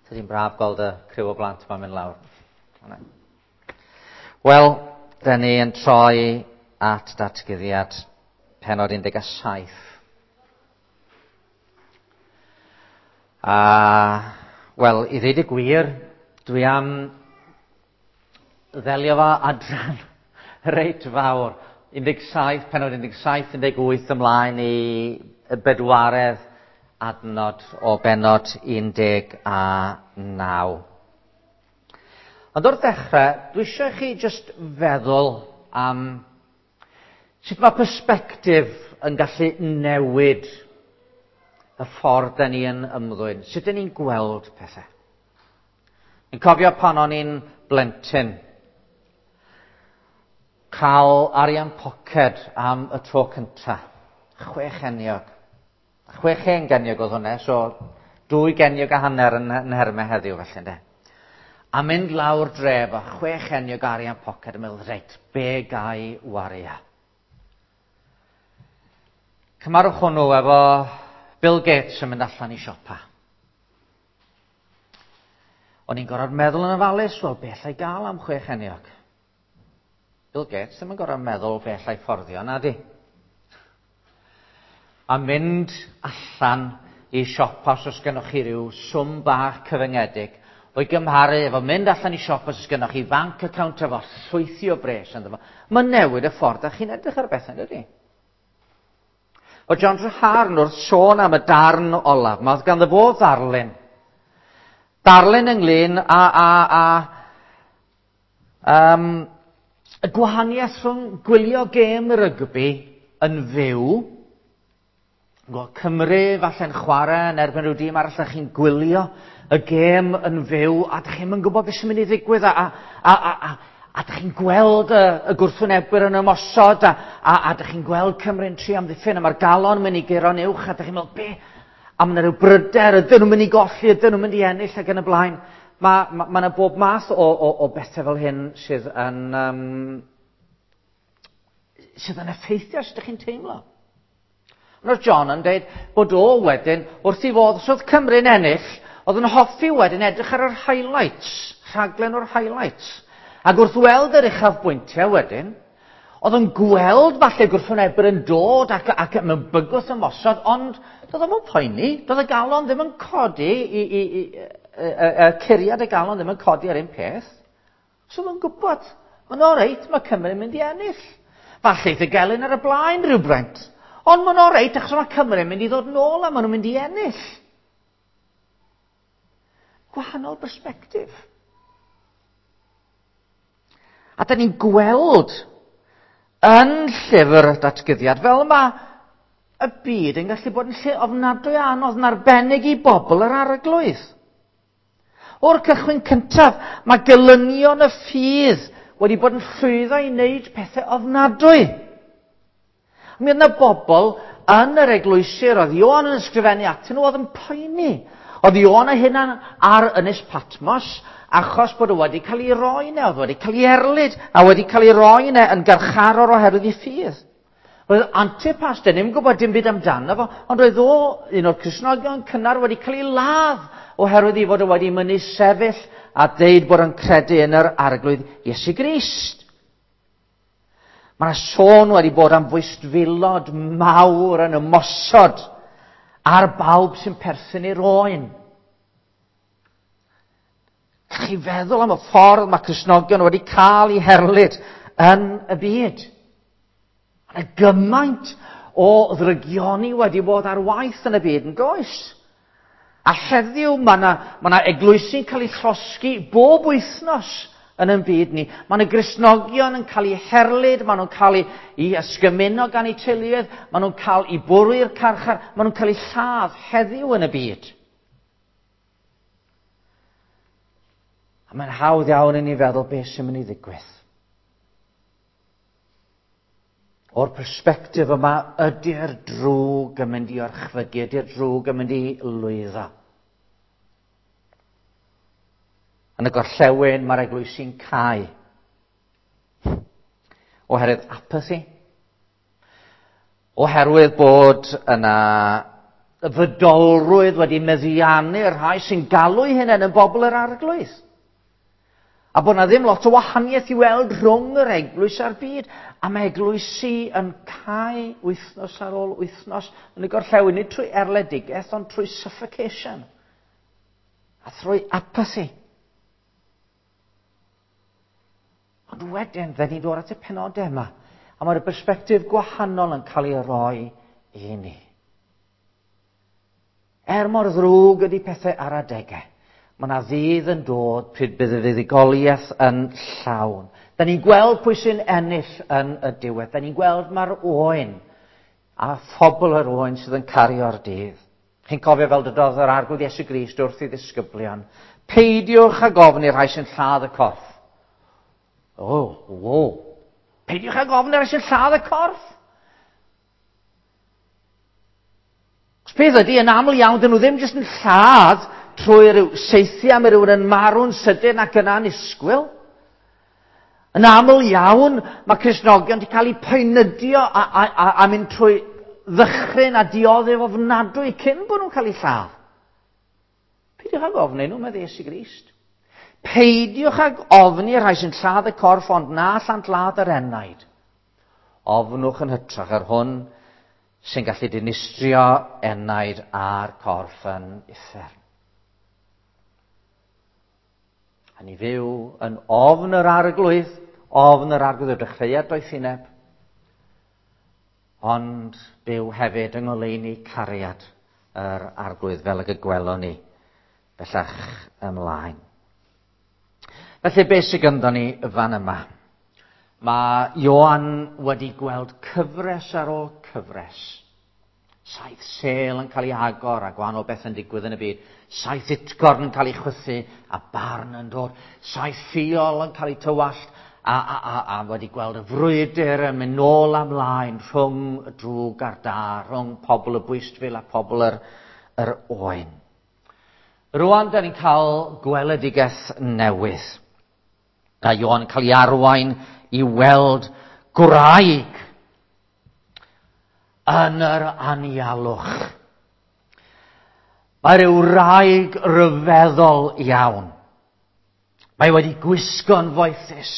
Tydi'n braf gweld y criw o blant yma'n mynd lawr. Wel, da ni yn troi at datguddiad penod 17. A, wel, i ddweud y gwir, dwi am ddelio fo adran reit fawr. 17, penod 17, 18 ymlaen i y bedwaredd adnod o benod 19. Ond o'r dechrau, dwi eisiau chi jyst feddwl am sut mae persbectif yn gallu newid y ffordd da ni yn ymddwyn, sut da ni'n gweld pethau. Yn cofio pan o'n i'n blentyn, cael arian poced am y tro cynta. 6 geniog. 6 hen geniog oedd hwnna, so 2 geniog a hanner yn nhermau heddiw felly, ynde. A mynd lawr dref a 6 geniog arian poced yn meddwl, reit, be gai wario? Cymarwch hwnnw efo Bill Gates yn mynd allan i siopa. O'n i'n gorfod meddwl yn ofalus, wel, be allai gael am 6 geniog? Bill Gates ddim yn gorfod meddwl be allai fforddio, na di. A mynd allan i siopa os oes gennych chi ryw swm bach cyfyngedig, o'i gymharu efo mynd allan i siopa os oes gennych chi bank account efo llwythi o bres ynddo fo. Mae'n newid y ffordd da chi'n edrych ar bethau, dydy? O John Treharne wrth sôn am y darn olaf, mae ganddo fo ddarlun. Darlun ynglyn â y gwahaniaeth rhwng gwylio gêm rygbi yn fyw, Cymru falle'n chwarae yn erbyn rhyw dîm arall, a chi'n gwylio y gêm yn fyw, a dych chi'm yn gwybod beth sy'n mynd i ddigwydd, a dych chi'n gweld y gwrthwynebwyr yn ymosod, a dych chi'n gweld Cymru'n trio amddiffyn, a mae'r galon yn mynd i guro'n uwch, a dych chi'n meddwl, be? A mae yna rhyw bryder, ydyn nhw'n mynd i golli, ydyn nhw'n mynd i ennill, ac yn y blaen. Mae yna bob math o bethau fel hyn sydd yn effeithio sut ydych chi'n teimlo. Ond oedd John yn dweud bod o wedyn, wrth i fod, os oedd Cymru'n ennill, oedd yn hoffi wedyn edrych ar yr highlights, rhaglen o'r highlights. Ac wrth weld yr uchafbwyntiau wedyn, oedd yn gweld falle gwrthwynebwyr yn dod ac mewn bygwth ymosod, ond doedd o'm yn poeni, doedd y galon ddim yn codi, y curiad y galon ddim yn codi ar un peth. So mae'n gwybod, mae'n oreit, mae Cymru'n mynd i ennill. Falle eith y gelyn ar y blaen rhywbryd. Ond mae'n oreit, achos mae Cymru'n mynd i ddod nôl a maen nhw'n mynd i ennill. Gwahanol bersbectif. A da ni'n gweld yn llyfr y datguddiad fel mae y byd yn gallu bod yn lle ofnadwy anodd yn arbennig i bobl yr arglwydd. O'r cychwyn cyntaf, mae gelynion y ffydd wedi bod yn llwyddo i wneud pethau ofnadwy. Mi oedd yna bobl yn yr eglwysi oedd Ioan yn ysgrifennu atyn nhw oedd yn poeni. Oedd Ioan ei hunan ar Ynys Patmos achos bod o wedi cael ei roi yna, oedd wedi cael ei erlid a wedi cael ei roi yna yn garcharor oherwydd ei ffydd. Roedd Antipas, dyn ni'm yn gwybod dim byd amdano fo, ond roedd o, un o'r Cristnogion cynnar, wedi cael ei ladd oherwydd ei fod o wedi mynnu sefyll a deud bod o'n credu yn yr Arglwydd Iesu Grist. Mae yna sôn wedi bod am fwystfilod mawr yn ymosod ar bawb sy'n perthyn i'r oen. Gallwch chi feddwl am y ffordd mae Cristnogion wedi cael eu herlid yn y byd. Mae yna gymaint o ddrygioni wedi bod ar waith yn y byd yn does. A heddiw mae yna eglwysi'n cael eu llosgi bob wythnos yn ein byd ni. Mae yna Gristnogion yn cael eu herlid, maen nhw'n cael eu ysgymuno gan eu teuluoedd, maen nhw'n cael eu bwrw i'r carchar, maen nhw'n cael eu lladd heddiw yn y byd. A mae'n hawdd iawn i ni feddwl beth sy'n mynd i ddigwydd. O'r persbectif yma, ydy'r drwg yn mynd i orchfygu, ydy'r drwg yn mynd i lwyddo? Yn y gorllewin, mae'r eglwysi'n cau. Oherwydd apathy. Oherwydd bod yna y fydolrwydd wedi meddiannu'r rhai sy'n galw eu hunain yn bobl yr Arglwydd. A bod na ddim lot o wahaniaeth i weld rhwng yr eglwys a'r byd. A mae eglwysi yn cau wythnos ar ôl wythnos yn y gorllewin, nid trwy erledigaeth, ond trwy suffocation. A thrwy apathy. Ond wedyn, fe ni'n dod at y penodau yma. A mae'r bersbectif gwahanol yn cael ei roi i ni. Er mor ddrwg ydy pethau ar adegau, mae yna ddydd yn dod pryd bydd y fuddugoliaeth yn llawn. Da ni'n gweld pwy sy'n ennill yn y diwedd. Da ni'n gweld mae'r oen a phobl yr oen sydd yn cario'r dydd. Chi'n cofio fel dydodd yr Arglwydd Iesu Grist wrth ei ddisgyblion, peidiwch ag ofn i'r rhai sy'n lladd y corff. O, oh, o. Peidiwch ag ofn i'r rhai sy'n lladd y corff. Os peth ydy, yn aml iawn, dyn nhw ddim jyst yn lladd trwy rhyw saethu am rhywun yn marw'n sydyn ac yn annisgwyl. Yn aml iawn, mae Cristnogion wedi cael eu poenydio a, a, a, a mynd trwy ddychryn a dioddef ofnadwy cyn bod nhw'n cael eu lladd. Peidiwch ag ofni nhw, medde Iesu Grist. Peidiwch ag ofni rhai sy'n lladd y corff, ond na allant ladd yr enaid. Ofnwch yn hytrach yr hwn sy'n gallu dinistrio enaid a'r corff yn uffern. A ni fyw yn ofn yr Arglwydd, ofn yr Arglwydd y dechreuad doethineb, ond byw hefyd yng ngoleuni cariad yr Arglwydd fel ag y gwelwn ni bellach ymlaen. Felly beth sydd ganddo ni fan yma? Mae Ioan wedi gweld cyfres ar ôl cyfres. 7 sêl yn cael ei agor a gwahanol beth yn digwydd yn y byd. 7 utgorn yn cael ei chwythu a barn yn dod. 7 ffiol yn cael ei tywallt a, a, a, a wedi gweld y frwydr yn mynd nôl a mlaen rhwng y drwg a'r da, rhwng pobl y bwystfil a pobl yr, yr oen. Rwan, da ni'n cael gweledigaeth newydd. A Ioan yn cael ei arwain i weld gwraig yn yr anialwch. Mae rhyw wraig ryfeddol iawn. Mae wedi gwisgo'n foethus.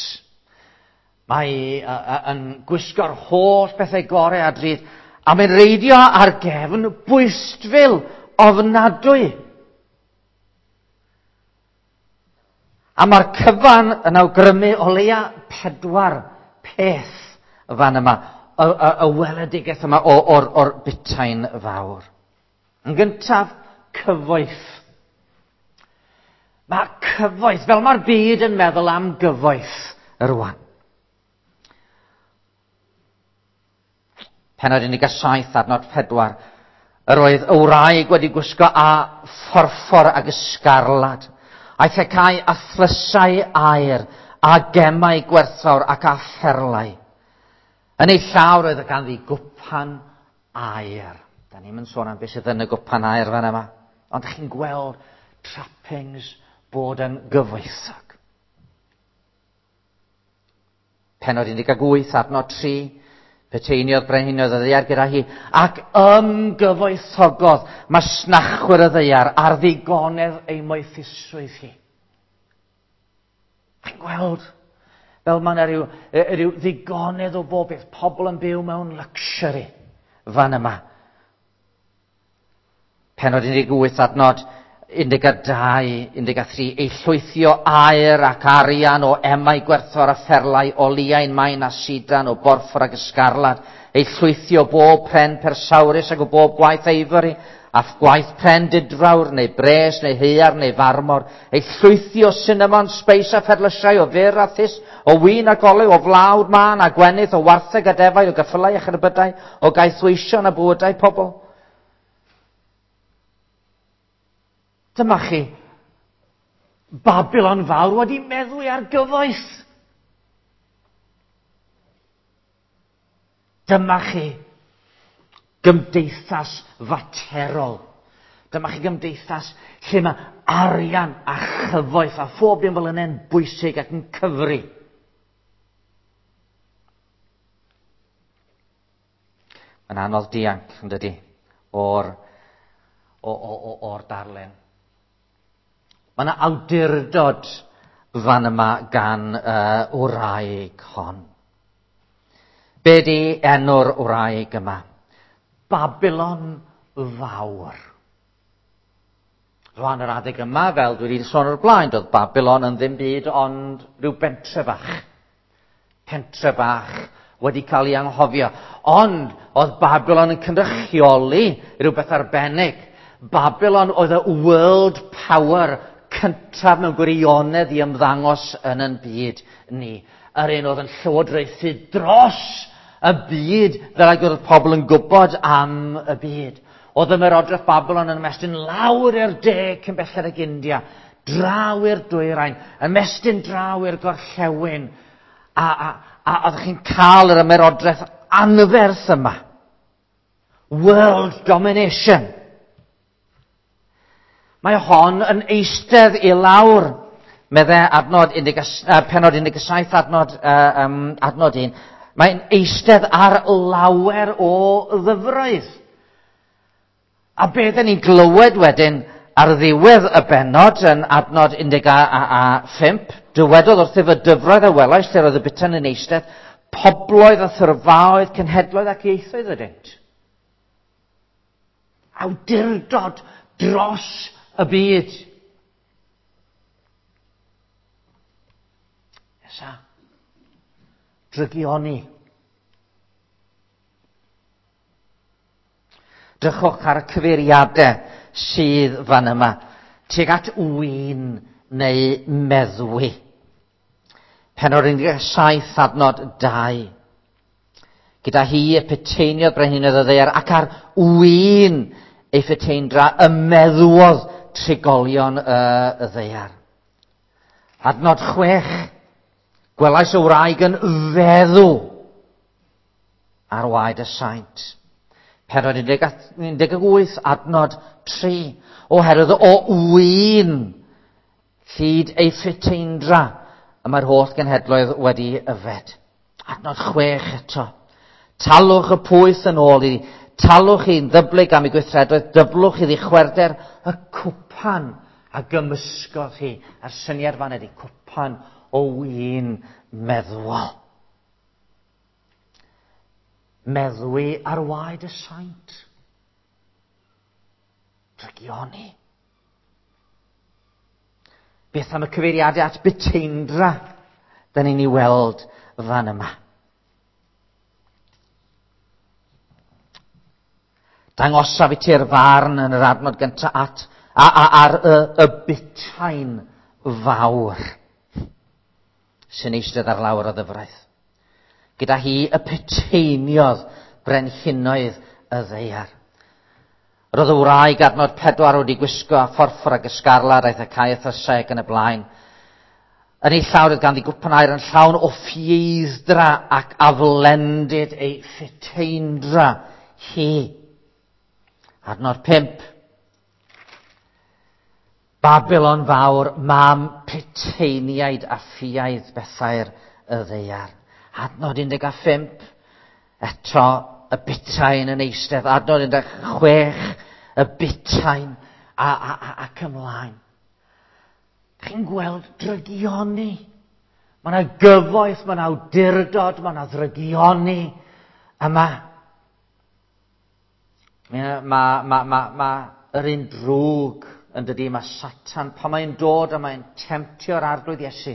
Mae yn gwisgo'r holl bethau gorau a drud. A mae'n reidio ar gefn bwystfil ofnadwy. A mae'r cyfan yn awgrymu o leia 4 peth fan yma, y, y, y weledigaeth yma o'r, or, or butain fawr. Yn gyntaf, cyfoeth. Mae cyfoeth, fel mae'r byd yn meddwl am gyfoeth rwan. Pennod 17, adnod 4. Yr oedd y wraig wedi gwisgo a phorffor ag ysgarlad. Aeth y cae a thlysau aer, a gemau gwerthfawr ac a pherlau. Yn ei llaw roedd y ganddi gwpan aer. Da ni'n mynd sôn am beth sydd yn y gwpan aer fan yma. Ond chi'n gweld trappings bod yn gyfoethog. Pennod 18, adnod 3, peteiniodd brenhinoedd y ddaear gyda hi, ac ymgyfoethogodd masnachwyr y ddaear ar ddigonedd ei moethusrwydd hi. Chi'n gweld fel mae yna rhyw, rhyw ddigonedd o bob beth, pobl yn byw mewn luxury fan yma. Pennod 18, adnod 12, 13, ei llwythio aer ac arian o emau gwerthfawr a pherlau, o liain main a sidan, o borffor ac ysgarlad, ei llwythio bob pren persawrus ac o bob gwaith eifory, a gwaith pren didfawr, neu bres, neu haearn, neu farmor, ei llwythio cinnamon, sbeis a pherlysiau, o fyr a thus, o win ac olew, o flawd mân a gwenith, o wartheg a defaid, o gyffylau a cherbydau, o gaethweision a bywydau pobl. Dyma chi, Babylon fawr wedi meddwi ar gyfoeth. Dyma chi gymdeithas faterol. Dyma chi gymdeithas lle mae arian a chyfoeth a phob dim fel yna'n bwysig ac yn cyfri. Mae'n anodd dianc, yn dydy, o'r o, o, o, o'r darlun. Mae yna awdurdod fan yma gan wraig hon. Be di enw'r wraig yma? Babylon Fawr. Rwan yr adeg yma, fel dwi wedi sôn o'r blaen, doedd Babylon yn ddim byd ond rhyw bentre bach. Pentre bach wedi cael ei anghofio. Ond oedd Babylon yn cynrychioli rhywbeth arbennig. Babylon oedd y world power cyntaf mewn gwirionedd i ymddangos yn yn byd ni. Yr un oedd yn llywodraethu dros y byd, fel ag oedd pobl yn gwybod am y byd. Oedd ymerodraeth Babylon yn ymestyn lawr i'r de cyn belled ag India, draw i'r dwyrain, ymestyn draw i'r gorllewin, a, a, a oeddech chi'n cael yr ymerodraeth anferth yma. World domination. Mae hon yn eistedd i lawr, medde adnod 11, penod 17, adnod, um, adnod 1. Mae'n eistedd ar lawer o ddyfroedd. A be dyn ni'n glywed wedyn ar ddiwedd y bennod yn adnod 15, dywedodd wrthyf y dyfroedd a welais lle roedd y butan yn eistedd, pobloedd a thyrfaoedd, cenhedloedd ac ieithoedd ydynt. Awdurdod dros y byd. Nesa. Drygioni. Drychwch ar y cyfeiriadau sydd fan yma. Tuag at win neu meddwi. Penod 17 adnod 2. Gyda hi y peteiniodd brenhinoedd y ddaear ac ar win ei pheteindra y meddwodd trigolion y, y ddaear. Adnod 6. Gwelais y wraig yn feddw ar waed y saint. Penod 18, adnod 3. Oherwydd o win llid ei pheteindra y mae'r holl genhedloedd wedi yfed. Adnod 6 eto. Talwch y pwyth yn ôl iddi. Talwch i'n ddyblyg am ei gweithredoedd, dyblwch iddi chwerder y cwpan a gymysgodd hi. A'r syniad fan ydi cwpan o win meddwol. Meddwi ar waed y saint. Drygioni. Beth am y cyfeiriadau at buteindra da ni'n ei weld fan yma? Dangosaf i ti'r farn yn yr adnod gyntaf at, a, a, ar y, y butain fawr sy'n eistedd ar lawr o ddyfraith. Gyda hi y peteiniodd brenhinoedd y ddaear. Roedd y wraig adnod 4 wedi gwisgo a phorffor ac ysgarlad aeth y caeth a seg yn y blaen. Yn ei llaw roedd ganddi gwpan aur yn llawn o ffieidd-dra ac aflendid ei pheteindra hi. Adnod 5. Babylon fawr, mam puteiniaid a ffiaidd bethau'r y ddaear. Adnod 15. Eto y butain yn eistedd. Adnod 16. Y butain a, a, a, ac ymlaen. Chi'n gweld drygioni. Mae yna gyfoeth, mae yna awdurdod, mae yna ddrygioni yma. Mae, mae, mae, mae, mae yr un drwg yn dydy, mae Satan, pan mae'n dod a mae'n temtio'r Arglwydd Iesu.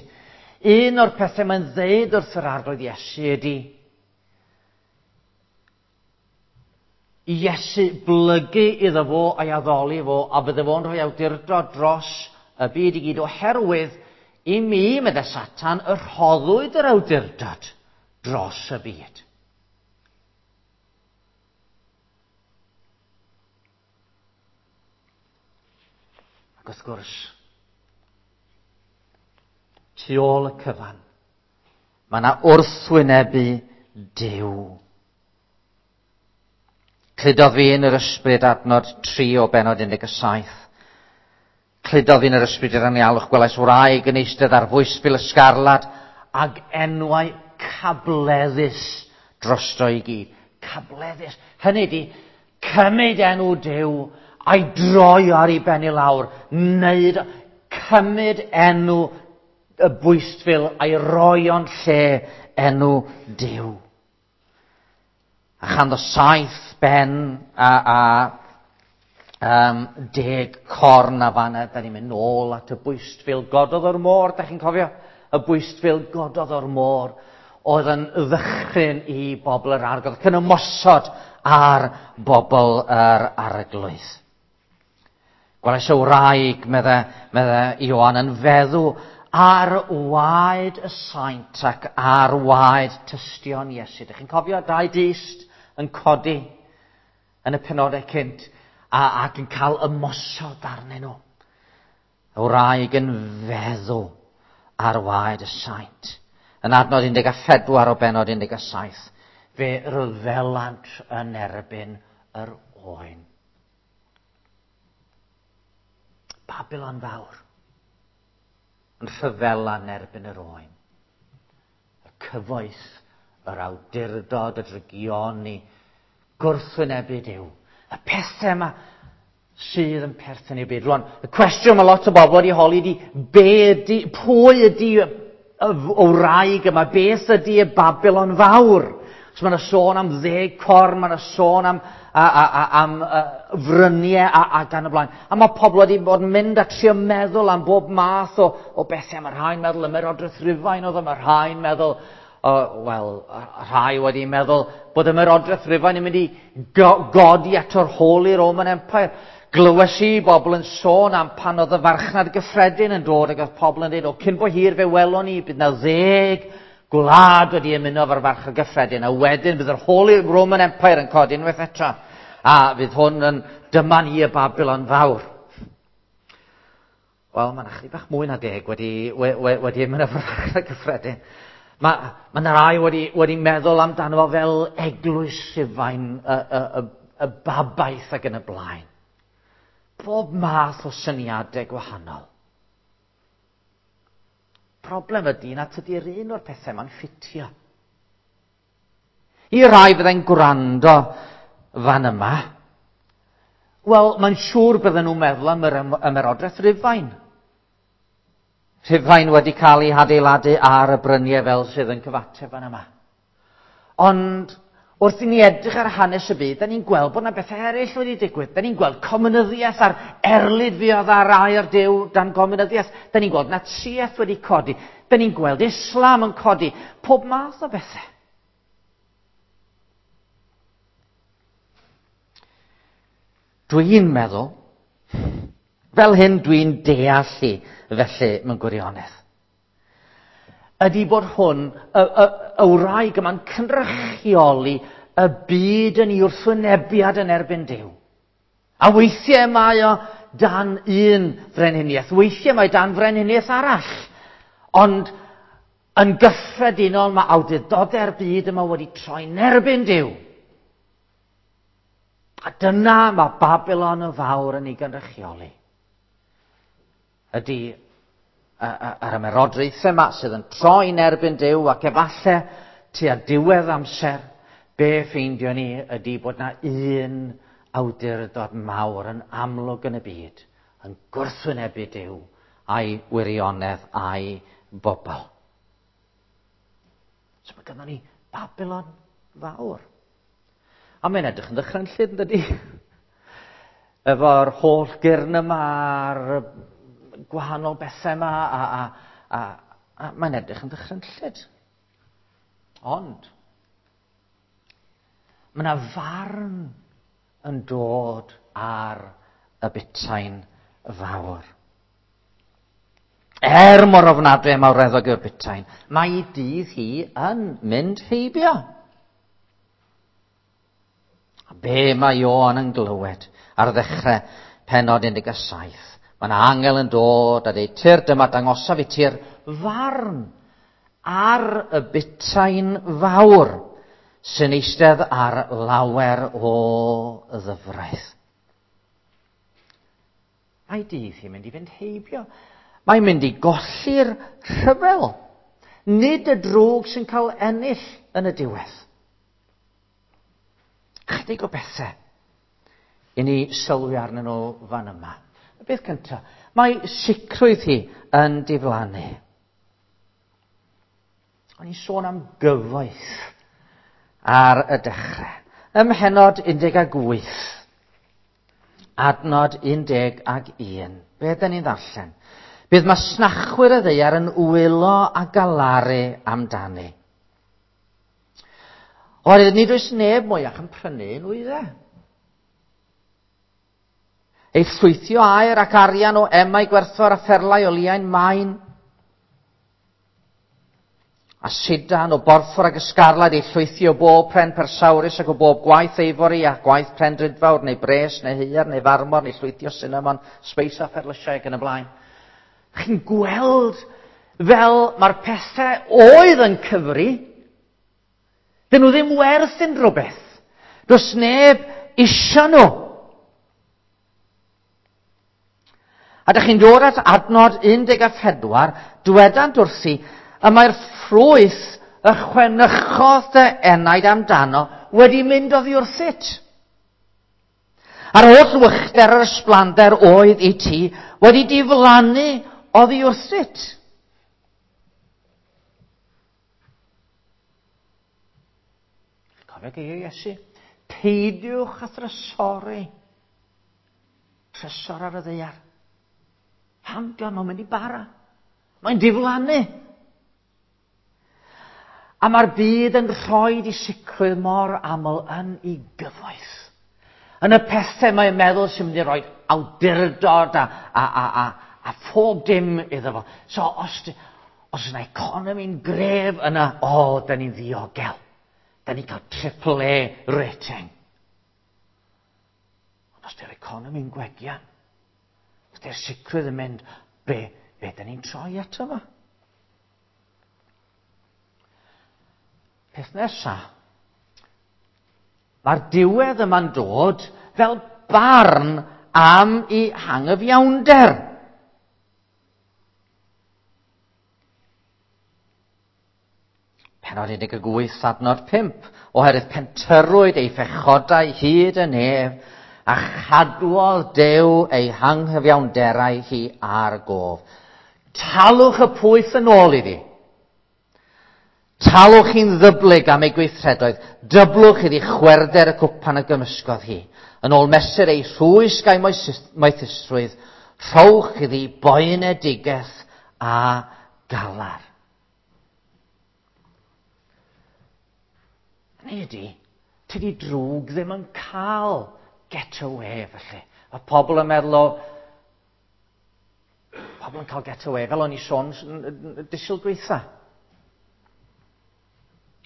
Un o'r pethau mae'n ddeud wrth yr Arglwydd Iesu ydy, i Iesu blygu iddo fo a'i addoli fo, a bydde fo'n rhoi awdurdod dros y byd i gyd, oherwydd i mi, medde Satan, y rhoddwyd yr awdurdod dros y byd. Ac wrth gwrs, tu ôl y cyfan, mae yna wrthwynebu Duw. Cludodd fi yn yr ysbryd adnod 3 o benod 17. Cludodd fi yn yr ysbryd i'r anialwch, gwelais wraig yn eistedd ar fwystfil ysgarlad ag enwau cableddus drosto i gyd. Cableddus. Hynny ydi, cymryd enw Duw A'i droi ar ei ben i lawr, wneud, cymryd enw y bwystfil a'i roi o'n lle enw Duw. A chanddo 7 ben a 10 corn a fanna, da ni'n mynd nôl at y bwystfil gododd o'r môr, da chi'n cofio? Y bwystfil gododd o'r môr oedd yn ddychryn i bobl yr Arglwydd, cyn ymosod ar bobl yr Arglwydd. Gwelais y wraig, medde Ioan, yn feddw ar waed y saint ac ar waed tystion Iesu. Dych chi'n cofio 2 dyst yn codi yn y penodau cynt ac yn cael ymosod arnyn nhw. Y wraig yn feddw ar waed y saint. Yn adnod 14 o benod 17, fe ryfelant yn erbyn yr oen. Babylon fawr yn rhyfela yn erbyn yr oen. Y cyfoeth, yr awdurdod, y drygioni, gwrthwynebu Duw. Y pethau yma sydd yn perthyn i'r byd. Rwan, y cwestiwn mae lot o bobl wedi holi ydi, pwy ydi y wraig yma, beth ydi y Babylon fawr? So mae yna sôn am 10 corn, mae yna sôn am fryniau a gan y blaen. A mae pobl wedi bod yn mynd a trio meddwl am bob math o bethau. Mae rhai'n meddwl ymerodraeth Rufain oedd, mae rhai'n meddwl, wel, rhai wedi meddwl bod ymerodraeth Rufain yn mynd i godi ato'r Holy Roman Empire. Glywes i bobl yn sôn am pan oedd y farchnad gyffredin yn dod ac oedd pobl yn dweud, o, cyn bo hir fe welon ni, bydd na 10 gwlad wedi ymuno efo'r farchnad gyffredin, a wedyn bydd yr Holy Roman Empire yn codi unwaith eto, a fydd hwn yn dyma ni y Babylon fawr. Wel, mae yna chydig bach mwy na 10 wedi ymuno efo'r farchnad gyffredin. Mae yna rai wedi meddwl amdano fo fel eglwys Rhufain, y babaeth ac yn y blaen. Bob math o syniadau gwahanol. Problem ydy na tydi'r un o'r pethau ma'n ffitio. I rai fyddai'n gwrando fan yma, wel, mae'n siŵr bydden nhw'n meddwl am yr ymerodraeth Rufain. Rhufain wedi cael ei hadeiladu ar y bryniau fel sydd yn cyfateb fan yma. Ond wrth i ni edrych ar hanes y byd, da ni'n gweld bod yna bethau eraill wedi digwydd. Da ni'n gweld comunyddiaeth a'r erlid fuodd ar air Duw dan gomunyddiaeth. Da ni'n gweld Natsiaeth wedi codi. Da ni'n gweld Islam yn codi. Pob math o bethau. Dwi'n meddwl, fel hyn dwi'n deall i felly mewn gwirionedd, ydy bod hwn, y wraig yma'n cynrychioli y byd yn ei wrthwynebiad yn erbyn Duw. A weithiau mae o dan un frenhiniaeth, weithiau mae dan frenhiniaeth arall. Ond yn gyffredinol mae awdurdodau'r byd yma wedi troi'n erbyn Duw. A dyna mae Babylon y fawr yn ei gynrychioli. Ydy yr ymerodraethau yma sydd yn troi'n erbyn Duw ac efallai tua diwedd amser, be ffeindio ni ydy bod na un awdurdod mawr yn amlwg yn y byd, yn gwrthwynebu Duw a'i wirionedd a'i bobl. So mae gynnon ni Babylon fawr. A mae'n edrych yn ddychrynllyd, yn dydi? Efo'r holl gyrn yma a'r gwahanol bethau yma, a mae'n edrych yn ddychrynllyd. Ond, mae yna farn yn dod ar y butain fawr. Er mor ofnadwy a mawreddog yw'r butain, mae ei dydd hi yn mynd heibio. A be mae Ioan yn glywed ar ddechrau pennod 17? Mae yna angel yn dod a dweud, Tyr, dyma dangosaf i ti'r farn ar y butain fawr sy'n eistedd ar lawer o ddyfraith. Mae dydd hi'n mynd i fynd heibio. Mae'n mynd i golli'r rhyfel. Nid y drwg sy'n cael ennill yn y diwedd. Chydig o bethau i ni sylwi arnyn nhw fan yma. Y beth cyntaf, mae sicrwydd hi yn diflannu. O'n i'n sôn am gyfoeth ar y dechrau. Ym mhennod 18, adnod 11, be ydyn ni'n ddarllen? Bydd masnachwyr y ddaear yn wylo a galaru amdani. Oherwydd nid oes neb mwyach yn prynu nwyddau. Ei llwythio aer ac arian o emau gwerthfawr a pherlau o liain main. A sidan o borffor ac ysgarlad ei llwythio o bob pren persawrus ac o bob gwaith eifori a gwaith pren drudfawr neu bres neu haearn neu farmor neu llwythio sinamon, sbeis a pherlysiau ac yn y blaen. Chi'n gweld fel mae'r pethau oedd yn cyfri, dyn nhw ddim werth unrhyw beth. Does neb isio nhw. A dych chi'n dod at adnod 14, dwedant wrthi, y mae'r ffrwyth y chwenychodd dy enaid amdano wedi mynd oddi wrthyt. A'r holl wychder yr ysblander oedd i ti wedi diflannu oddi wrthyt. Cofio geiriau Iesu? Peidiwch â thrysori. Trysor ar y ddaear. Pam di o'n mynd i bara? Mae'n diflannu. A mae'r byd yn rhoi i sicrwydd mor aml yn ei gyfoeth. Yn y pethau mae'n meddwl sy'n mynd i roi awdurdod a phob dim iddo fo. So os, os yna economi'n gref yna, o, oh, da ni'n ddiogel. Da ni'n cael triple A rating. Ond os di'r economi'n gwegian, os di'r sicrwydd yn mynd, be da ni'n troi ato fo? Peth nesa, mae'r diwedd yma'n dod fel barn am ei hangyfiawnder. Pennod 18, adnod 5, oherwydd pentyrrwyd ei phechodau hyd y nef, a chadwodd Duw ei hanghyfiawnderau hi ar gof. Talwch y pwyth yn ôl iddi. Talwch hi'n ddyblyg am ei gweithredoedd, dyblwch iddi chwerder y cwpan a gymysgodd hi. Yn ôl mesur ei rhwysg a'i moethusrwydd, rhowch iddi boenedigaeth a galar. Hynny ydy, tydi drwg ddim yn cael get away felly. Mae pobl yn meddwl o... Pobl yn cael get away, fel o'n i sôn dydd Sul dwytha.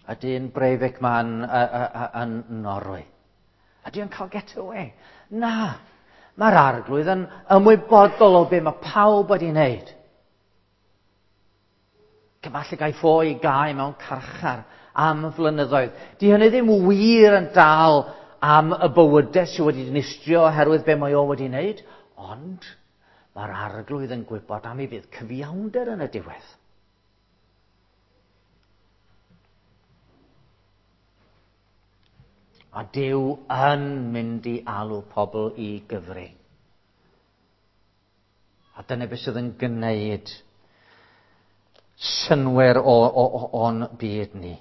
Y dyn Breivik ma'n yn Norwy. Ydy o'n cael get away? Na. Mae'r arglwydd yn ymwybodol o be mae pawb wedi wneud. Falle gaiff o i gau mewn carchar am flynyddoedd. Di hynny ddim wir yn dal am y bywydau sydd wedi dinistrio oherwydd be mae o wedi wneud, ond mae'r arglwydd yn gwybod am ei fydd cyfiawnder yn y diwedd. A Duw yn mynd i alw pobl i gyfri. A dyna beth sydd yn gwneud synnwyr o'n byd ni.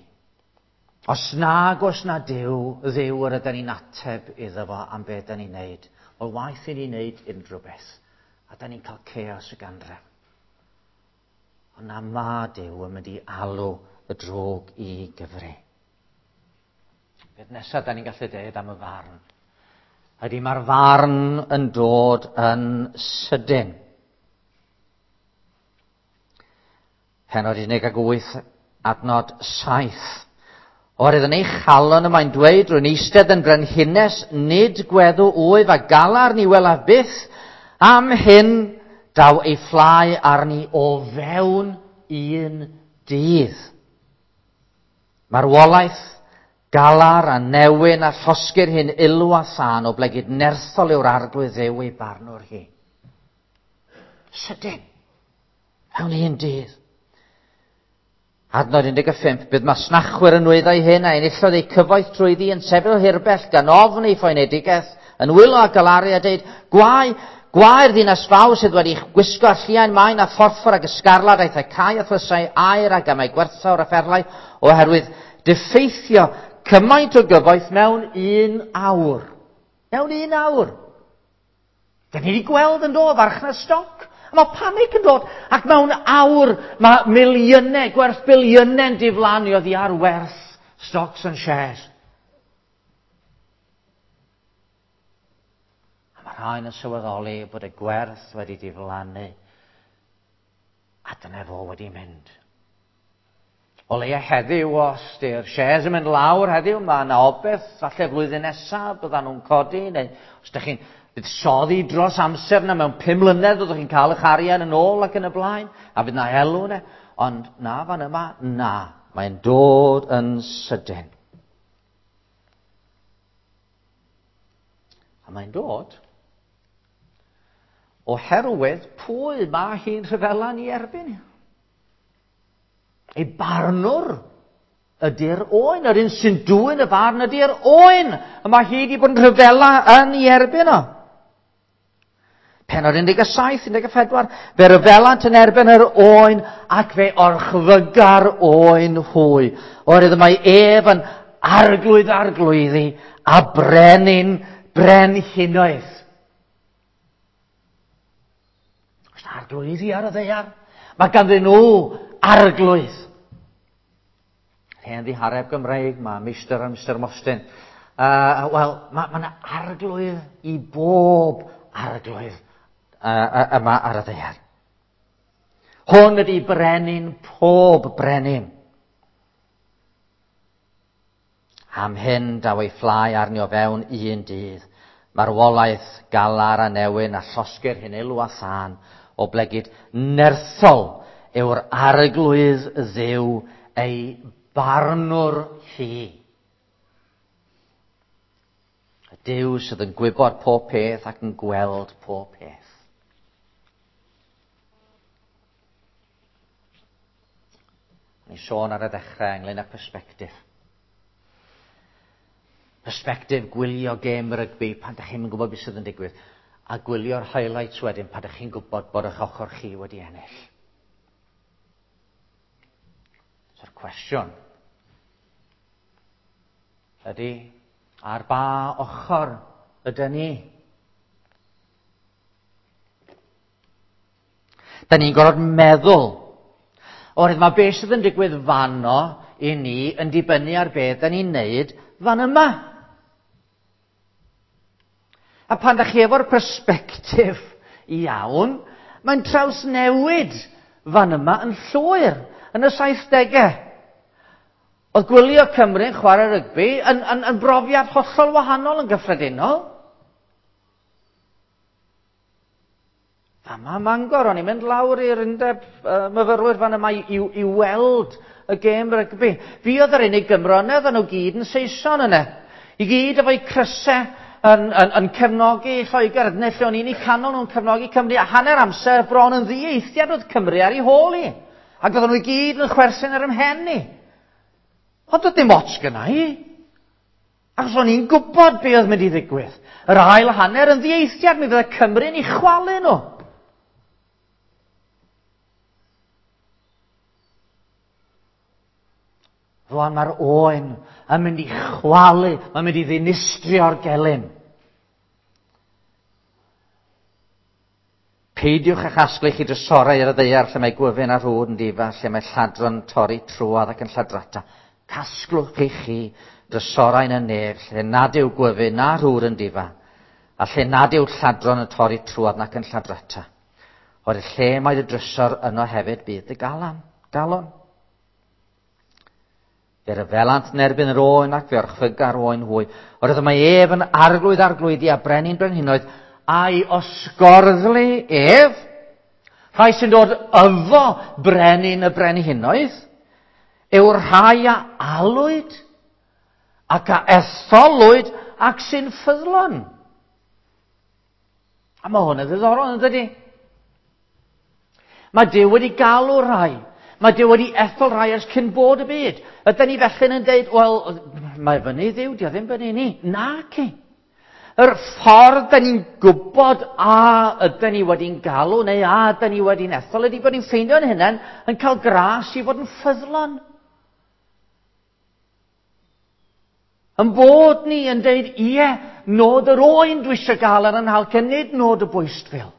Os nag oes na Duw, Dduw yr ydyn ni'n ateb iddo fo am beth ydyn ni'n neud. Wel, waeth i ni wneud unrhyw beth. A da ni'n cael chaos y ganref. Ond na ma Duw yn mynd i alw y drwg i gyfri. Beth nesaf da ni'n gallu dweud am y farn? Ydy mae'r farn yn dod yn sydyn. Pennod 18, adnod 7. Oherwydd yn ei chalon y mae'n dweud, rwy'n eistedd yn brenhines, nid gweddw wyf a galar ni welaf byth, am hyn daw ei fflau arni o fewn un dydd. Marwolaeth, galar a newyn a llosgir hyn ilw a thân o blegid nerthol yw'r arglwydd Dduw ei barnwr hi. Sydyn, mewn un dydd. Adnod 15, bydd masnachwyr yn nwyddau hyn a enillodd eu cyfoeth trwyddi yn sefyll hirbell gan ofn ei phoenedigaeth yn wylo a galaru a deud, Gwae, gwae'r ddinas fawr sydd wedi gwisgo â lliain maen a phorffor ac ysgarlad aeth â cae a thlysau aur a gemau gwerthfawr a pherlau, oherwydd diffeithio cymaint o gyfoeth mewn un awr. Mewn un awr. Da ni wedi gweld yn do, farchnad stoc. A mae panig yn dod. Ac mewn awr mae miliynau, gwerth biliynau'n diflannu oddi ar werth stocks and shares. A mae rhain yn sylweddoli bod y gwerth wedi diflannu. A dyna fo wedi mynd. O leia heddiw, os di'r shares yn mynd lawr heddiw, mae yna obaith, falle flwyddyn nesaf byddan nhw'n codi, neu os ydych chi'n buddsoddi dros amser yna mewn 5 mlynedd, byddwch chi'n cael eich arian yn ôl ac yn y blaen, a fydd na elw yna. Ond na, fan yma, na, mae'n dod yn sydyn. A mae'n dod oherwydd pwy mae hi'n rhyfela ni erbyn. Ei barnwr ydy'r oen. Yr un sy'n dwyn y farn ydy'r oen. A mae hi wedi bod yn rhyfela yn ei erbyn o. Pennod 17, 14. Fe ryfelant yn erbyn yr oen ac fe orchfyga'r oen hwy. Oherwydd mae ef yn arglwydd arglwyddi a brenin brenhinoedd. Oes 'na arglwyddi ar y ddaear? Mae ganddyn nhw arglwydd. Hen ddihareb Gymreig, mae Meistr a Mister Mostyn. Wel, mae yna arglwydd i bob arglwydd yma ar y ddaear. Hwn ydy brenin pob brenin. Am hyn daw ei fflai arni o fewn un dydd. Marwolaeth, galar a newyn a llosgir hyn elw a thân, oblegid nerthol yw'r arglwydd Dduw ei barnwr hi. Y Duw sydd yn gwybod pob peth ac yn gweld pob peth. O'n i'n sôn ar y ddechrau ynglyn â perspectif. Perspectif gwylio gêm rygbi pan dych chi'm yn gwybod beth sydd yn digwydd, a gwylio'r highlights wedyn pan dych chi'n gwybod bod eich ochr chi wedi ennill. So'r cwestiwn ydy, ar ba ochr ydyn ni? Da ni'n gorfod meddwl. Oherwydd mae beth sydd yn digwydd fanno i ni yn dibynnu ar beth da ni'n neud fan yma. A pan da chi efo'r persbectif iawn, mae'n trawsnewid fan yma yn llwyr, yn y 70au. Oedd gwylio Cymru'n chwarae rygbi yn brofiad hollol wahanol yn gyffredinol. Fama Mangor, o'n i'n mynd lawr i'r undeb myfyrwyr fan yma i weld y gêm rygbi. Fi oedd yr unig Gymro yna, oedden nhw gyd yn Saeson yna. I gyd efo'u crysau yn cefnogi Lloegr, neu lle o'n i'n eu canol nhw'n cefnogi Cymru, a hanner amser bron yn ddieithiad oedd Cymru ar ei hôl i. Ac oedden nhw i gyd yn chwerthin ar 'y mhen i. Ond doedd dim ots gynna i. Achos o'n i'n gwybod be oedd mynd i ddigwydd. Yr ail hanner yn ddieithiad, mi fydde Cymru'n eu chwalu nhw. Rwan mae'r oen yn mynd i chwalu, mae'n mynd i ddinistrio'r gelyn. Peidiwch â chasglu chi drysorau ar y ddaear lle mae gwyfyn a rhwd yn difa, lle mae lladron torri trwodd ac yn lladrata. Casglwch i chi drysorau yn y nef lle nad yw gwyfyn na rhwd yn difa, a lle nad yw lladron yn torri trwodd nac yn lladrata. Oherwydd lle mae dy drysor yno hefyd bydd dy galon. Fe ryfelant yn erbyn yr oen ac fe orchfyga'r oen hwy. Oherwydd mae ef yn arglwydd arglwyddi a brenin brenhinoedd, a'i osgorddlu ef, rhai sy'n dod yfo brenin y brenhinoedd, yw'r rhai a alwyd ac a etholwyd ac sy'n ffyddlon. A mae hwn yn ddiddorol, yn dydy? Mae Duw wedi galw rhai. Mae Duw wedi ethol rhai ers cyn bod y byd. Ydyn ni felly yn dweud, wel, mae fyny Dduw, di o ddim fyny ni. Naci. Yr ffordd da ni'n gwybod a ydyn ni wedi'n galw neu a ydyn ni wedi'n ethol ydy bod ni'n ffeindio'n hunain yn cael gras i fod yn ffyddlon. Yn bod ni yn deud, ie, nod yr oen dwi eisiau gael ar yn halcyn, nid nod y bwystfil.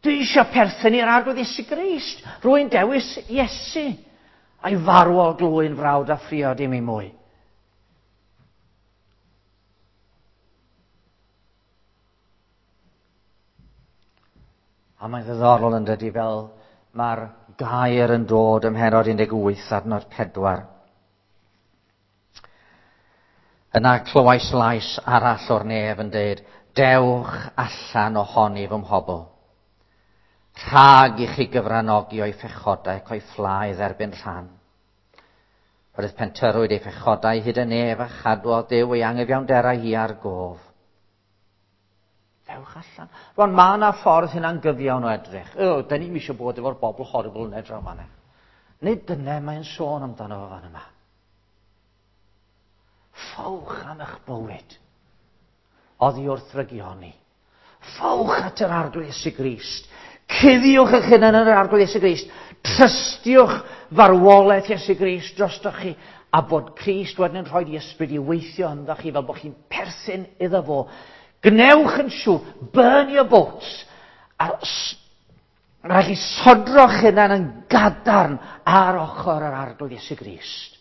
Dwi eisiau perthyn i'r Arglwydd Iesu Grist. Rwy'n dewis Iesu. A'i farwol glwy'n frawd a phriod i mi mwy. A mae'n ddiddorol yn dydy fel mae'r gair yn dod ym mhennod 18 adnod 4. Yna clywais lais arall o'r nef yn dweud, dewch allan ohoni fy mhobl. Rhag i chi gyfranogi o'i phechodau ac o'i fflaidd erbyn rhan. Roedd pentyrwyd ei phechodau hyd y nef a chadwodd Duw ei angyfiawnderau hi ar gof. Dewch allan. Rwan, mae yna ffordd hynna'n gyfiawn o edrych. O, da ni'n eisiau bod efo'r bobl horrible yna draw fanna. Nid dyna mae'n sôn amdano fo fan yma. Ffowch am eich bywyd. Oddi wrth rygioni. Ffowch at yr Arglwydd Iesu Grist. Cuddiwch eich hunan yn yr Arglwydd Iesu Grist. Trystiwch farwolaeth Iesu Grist drostoch chi a bod Crist wedyn yn rhoi i ysbryd i weithio ynddo chi fel bod chi'n perthyn iddo fo. Gwnewch yn siŵr, burn your boats, a rhaid chi sodro'ch hunan yn gadarn ar ochr yr Arglwydd Iesu Grist.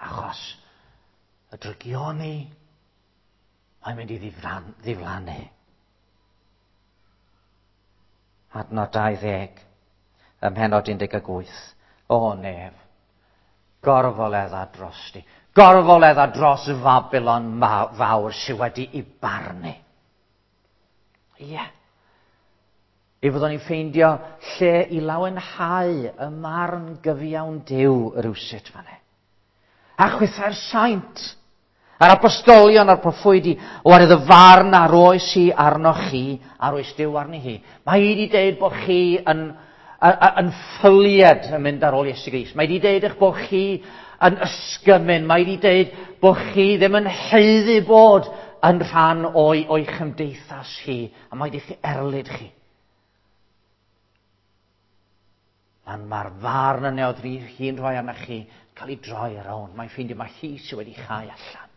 Achos y drygioni, mae'n mynd i ddiflannu. Adnod 20, ym mhenod 18. O nef, gorfoledda drosti. Gorfoledda dros Fabilon fawr sydd wedi i barnu. Ie. Yeah. I fyddwn ni'n ffeindio lle i lawenhau y marn gyfiawn Duw rywsut fanne. A chwithau'r saint, a'r apostolion a'r proffwydi, oherwydd y farn a roes hi arnoch chi, a roes Duw arni hi. Mae hi wedi deud bod chi yn, yn ffylied yn mynd ar ôl Iesu Grist. Mae wedi deud eich bod chi yn ysgymyn. Mae wedi deud bod chi ddim yn haeddu bod yn rhan o'i, o'i chymdeithas hi. A mae wedi chi erlid chi. Pan mae'r farn yna oedd hi'n rhoi arna chi cael ei droi ar rownd. Mae'n ffeindio mae hi sydd wedi chau allan.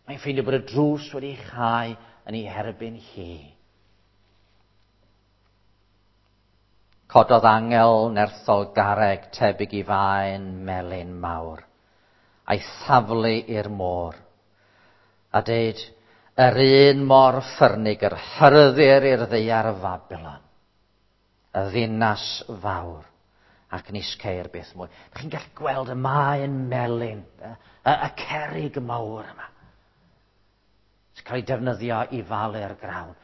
Mae'n ffeindio bod y drws wedi chau yn ei herbyn hi. Cododd angel nerthol garreg tebyg i faen melyn mawr, a'i thaflu i'r môr, a deud, yr un mor ffyrnig yr hyrddir i'r ddaear Fabilon, y ddinas fawr, ac nis ceir byth mwy. Chi'n gallu gweld y maen melyn, y, y, y cerrig mawr yma. Sy'n cael ei defnyddio i falu'r grawn.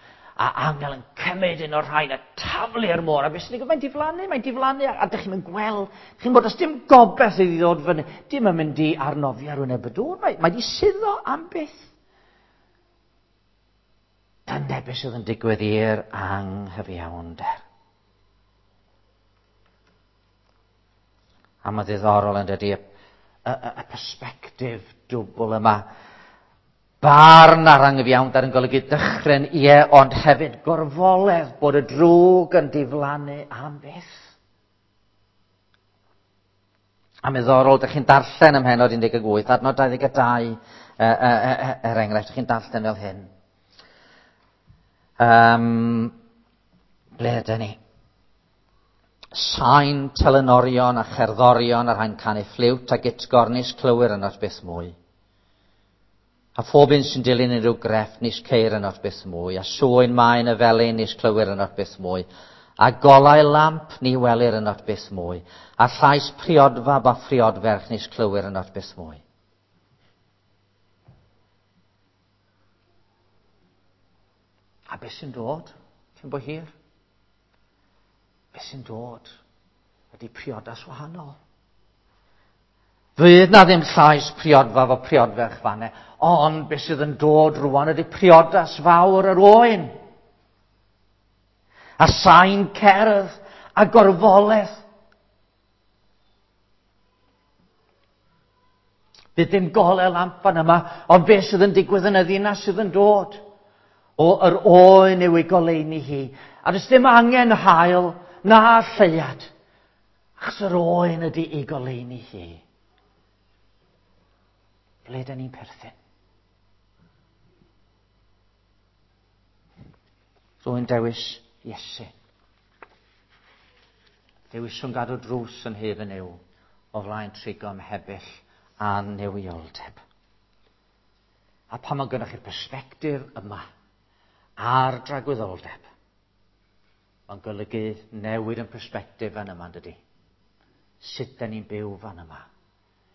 A angel yn cymryd un o'r rhain a taflu'r môr. A beth sy'n digwydd? Mae'n diflannu, mae'n diflannu. A, a dych chi'n gweld, chi'n bod, os dim gobeith iddi ddod fyny, dim yn mynd i arnofio ar wyneb y dŵr. Mae, mae di suddo am byth. Dyna beth sydd yn digwydd i'r anghyfiawnder. A mae ddiddorol yn dydy y, y, y, y perspectif dwbl yma. Barn ar anghyfiawnder yn golygu dychryn, ie, ond hefyd gorfoledd bod y drwg yn diflannu am byth. A middorol, dych chi'n darllen ym mhenod 18, adnod 22, er enghraifft, dych chi'n darllen fel hyn. Um, ble ydyn ni? Sain telynorion a cherddorion a rhai'n canu ffliwt a gitgornis clywir yn byth mwy. A phob un sy'n dilyn unrhyw grefft nis ceir yno byth mwy, a sŵyn maen y felin nis clywir yno byth mwy, a golau lamp ni welir yno byth mwy, a llais priodfab a phriodferch nis clywir yno byth mwy. A beth sy'n dod cyn bo hir? Beth sy'n dod ydy priodas wahanol. Fydd na ddim llais priodfaf o priodferch fanne, ond beth sydd yn dod rwan ydy priodas fawr yr oen. A sain cerdd a gorfoledd. Fydd dim golau lamp fan yma, ond beth sydd yn digwydd yn y ddinas sydd yn dod? O, yr oen yw ei goleuni hi. A does dim angen haul na lleuad. Achos yr oen ydy ei goleuni hi. Ble dyn ni'n perthyn? Rwy'n dewis Iesu. Dewiswn gadw drws yn hef yn yw o flaen trigo ymhebyll a newioldeb. A pan mae gennych chi'r persbectif yma ar dragwyddoldeb, mae'n golygu newid yn persbectif fan yma, dydy? Sut da ni'n byw fan yma?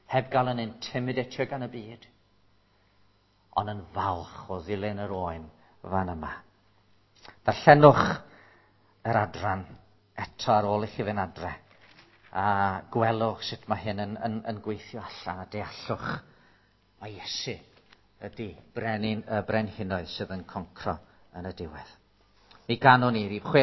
Heb gael yn intimidatio gan y byd, ond yn falch o ddilyn yr oen fan yma. Darllenwch yr adran eto ar ôl i chi fynd adre. A gwelwch sut mae hyn yn, yn, yn gweithio allan a deallwch. Mae Iesu ydy brenin, y brenhinoedd sydd yn concro yn y diwedd. Mi ganwn ni rif 6.